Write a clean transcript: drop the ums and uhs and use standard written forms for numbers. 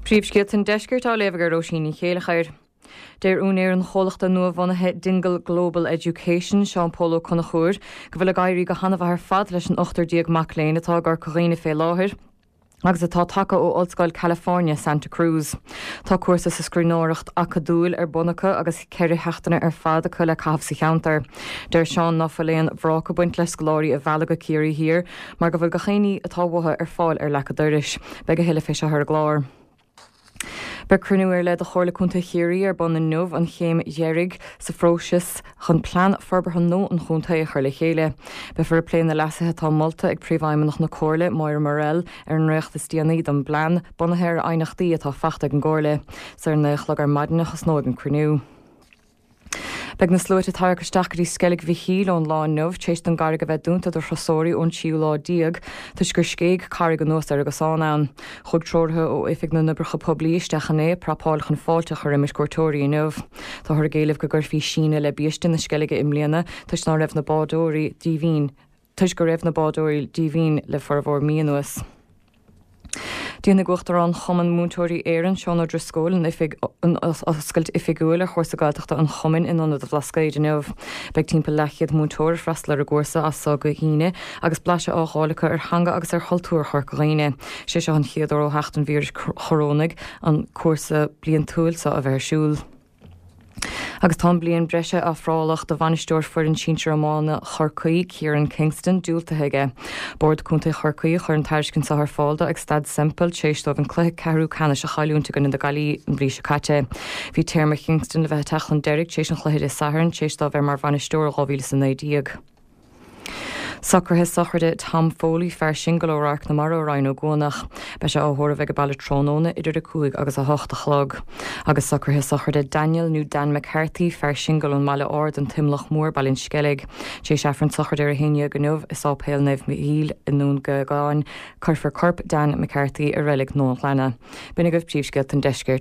Príomhscéalta an Deiscirt á léamh ag Róisín Ní Chéileachair. Deir úinéir an chomhlachta nua-bhunaithe Dingle Global Education, Seán Pól Ó Conchúir, go bhfuil ag éirí go han-mhaith ar fad leis an 18 mac léinn atá i gCorca Dhuibhne fé láthair agus atá tagtha ó Ollscoil California, Santa Cruz. Tá cúrsa sa scríbhneoireacht acadúil ar bun acu agus ceithre sheachtaine ar fad acu le caitheamh sa cheantar. Deir Seán ná fuil aon bhrác ag baint le scoláirí a mhealladh go Ciarraí Thiar mar go bhfuil gach aon ní atá uathu ar fáil ar leac an dorais. Beidh a thuilleadh fé seo ar an gclár. Beidh cruinniú ar leith de Chomhairle Contae Chiarraí ar bun inniu, an chéim dheiridh sa phróiseas chun plean forbartha nua an chontae a chur le chéile. Beifear ag plé na leasuithe atá molta ag Príomhfheidhmeannach na Comhairle, Máire Murrell, ar an ndréacht is déanaí den bplean, bunaithe ar aighneachtaí atá faighte ag an gComhairle. Is ar a 9 a chlog ar maidin a thosnóidh an cruinniú. Beidh na sluaite ag tarrac isteach go dtí Sceilg Mhichíl ón lá inniu, tar éis don gcarraig a bheith dúnta do thurasóirí ón tríú lá déag, toisc gur scéig carraig anuas ar an gcosán ann. Chuaigh treoraithe ó Oifig na nOibreacha Poiblí isteach inné ag prapáil chun fáilte a chur roimis cuairteoirí inniu. Táthar ag éileamh go gcuirfí síneadh le biaiste na Sceilge i mbliana toisc ná raibh na bádóirí díomhaoin toisc go raibh na bádóirí díomhaoin le formhór mí anuas. Déanfaidh Uachtarán Chumann Múinteoirí Éireann, Seán Ó Drisceoil, an oifig an oscailt oifigiúil ar chúrsa Gaeltachta an Chumainn in Ionad an Bhlascaoid inniu. Beidh timpeall leathchéad múinteoir ag freastal ar an gcúrsa as so go hAoine agus blaiseadh á dh'fháil acu ar theanga agus ar chultúr Chorca Dhuibhne. Sé seo an chéad uair ó theacht an víris chorónaigh an cúrsa bliantúil seo a bheith ar siúl. Agus tá an bliain breise ofrálach do bhainisteoir foireann sinsir iomána Chorcaí, Kieran Kingston, diúltaithe aige. Bord Contae Chorcaí a chuir an tairiscint seo ar fáil dó ag Staid Semple tar éis dóibh an cluiche ceathrú ceannais a chailliúint i gcoinne na Gaillimhe an mhí seo caite. Bhí téarma Kingston le bheith ag teacht chun deiridh tar éis an chluiche Dé Sathairn, tar éis dó bheith mar bhainisteoir ó 2019. Socruithe sochraide Tom Foley, fear singil ó Radharc na Mara i Rinn Ó gCuanach. Beidh sé á thórramh ag an baile tráthnóna idir 5 agus 8 a chlog. Agus socruithe sochraide Daniel nó Dan McCarthy, fear singil ón mBaile Ard, An tImleach Mór, Baile an Sceilg. Tar éis Aifreann sochraide ar 11 inniu i Sáipéal Naomh Michíl i nDún Geagáin, cuirfear corp Dan McCarthy i Reilig Nóin Ghleanna. B'in agaibh príomhscéalta an deiscirt.